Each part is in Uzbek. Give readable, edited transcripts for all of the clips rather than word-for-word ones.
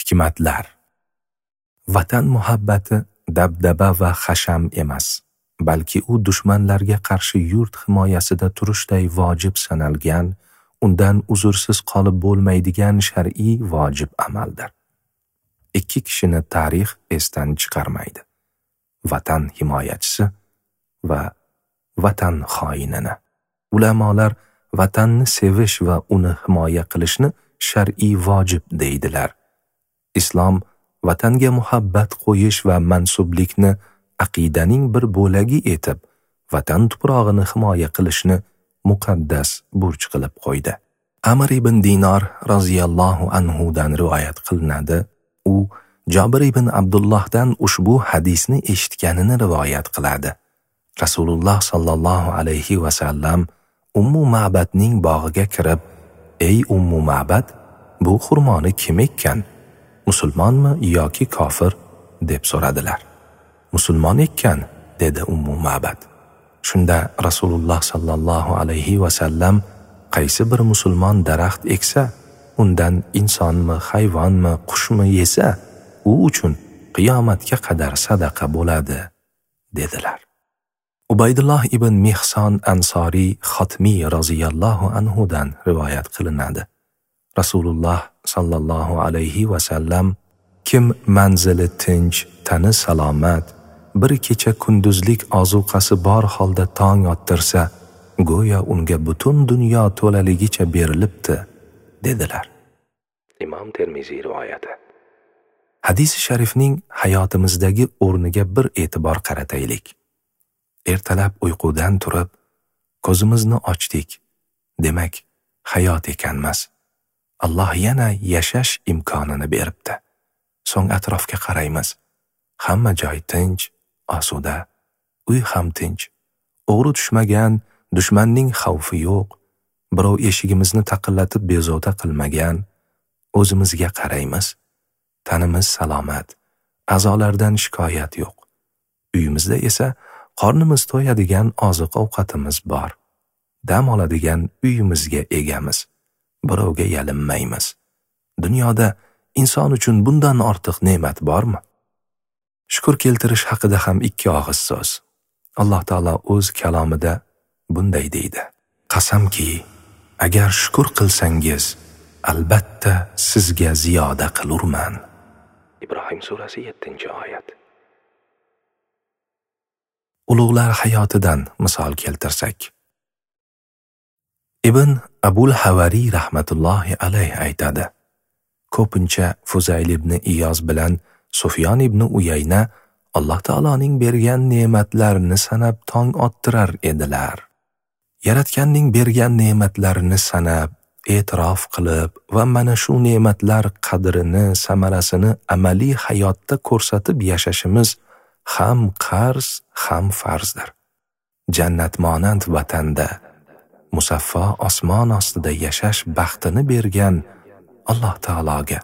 Hikmatlar. Vatan muhabbati dabdaba va hasham emas, balki u dushmanlarga qarshi yurt himoyasida turishday vojib sanalgan, undan uzrsiz qolib bo'lmaydigan shar'iy vojib amaldir. Ikki kishini tarix esdan chiqarmaydi: vatan himoyachisi va vatan xoinini. Ulamolar vatanni sevish va uni himoya qilishni shar'iy vojib deydilar. Islom vatanga muhabbat qo'yish va mansublikni aqidaning bir bo'lagi etib, vatan tuprog'ini himoya qilishni muqaddas burch qilib qo'ydi. Amr ibn Dinor roziyallohu anhu dan rivoyat qilinadi. U Jobir ibn Abdullohdan ushbu hadisni eshitganini rivoyat qiladi. Rasululloh sallallohu alayhi va sallam Ummu Ma'badning bog'iga kirib, "Ey Ummu Ma'bad, bu xurmoni kim ekkan? Musulmonmi yoki kofir?" deb so'radilar. "Musulmon ekkan", dedi Ummu Ma'bad. Shunda Rasululloh sallallohu alayhi va sallam, "Qaysi bir musulmon daraxt eksa, undan insonmi, hayvonmi, qushmi yesa, u uchun qiyomatga qadar sadaqa bo'ladi", dedilar. Ubaydulloh ibn Mihson Ansoriy Xotmiy roziyallohu anhu dan rivoyat qilinadi. Rasululloh sallallohu alayhi va sallam, kim manzili tinch, tani salomat, bir kecha kunduzlik ozuqasi bor holda tong ottirsa, go'yo unga butun dunyo to'laligicha berilibdi, dedilar. Imom Termiziy rivoyati. Hadis-i sharifning hayotimizdagi o'rniga bir e'tibor qarataylik. Ertalab uyqudan turib, ko'zimizni ochdik. Demak, hayot ekanmiz. Alloh yana yashash imkonini beribdi. So'ng atrofga qaraymiz. Hamma joy tinch, osuda, uy ham tinch. O'g'ri tushmagan, dushmanning xavfi yo'q. Birov eshigimizni taqillatib bezovta qilmagan. O'zimizga qaraymiz. Tanimiz salomat, a'zolardan shikoyat yo'q. Uyimizda esa qornimiz to'yadigan oziq-ovqatimiz bor. Dam oladigan uyimizga egamiz. Birovga yalinmaymiz. Dunyoda inson uchun bundan ortiq ne'mat bormi? Shukr keltirish haqida ham ikki og'iz so'z. Alloh taolo o'z kalomida bunday deydi: "Qasamki, agar shukr qilsangiz, albatta sizga ziyoda qilurman." Ibrohim surasi 7-oyat. Ulug'lar hayotidan misol keltirsak. Ibn Abul Havariy rahmatullohi alayh aytadi: ko'pincha Fuzayl ibn Iyoz bilan Sufyon ibn Uyayna Alloh taoloning bergan ne'matlarini sanab tong ottirar edilar. Yaratganning bergan ne'matlarini sanab, e'tirof qilib va mana shu ne'matlar qadrini, samarasini amaliy hayotda ko'rsatib yashashimiz ham qarz, ham farzdir. Jannatmonand vatanda, musaffo osmon ostida yashash baxtini bergan Alloh taologa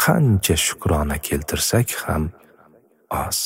qancha shukrona keltirsak ham oz.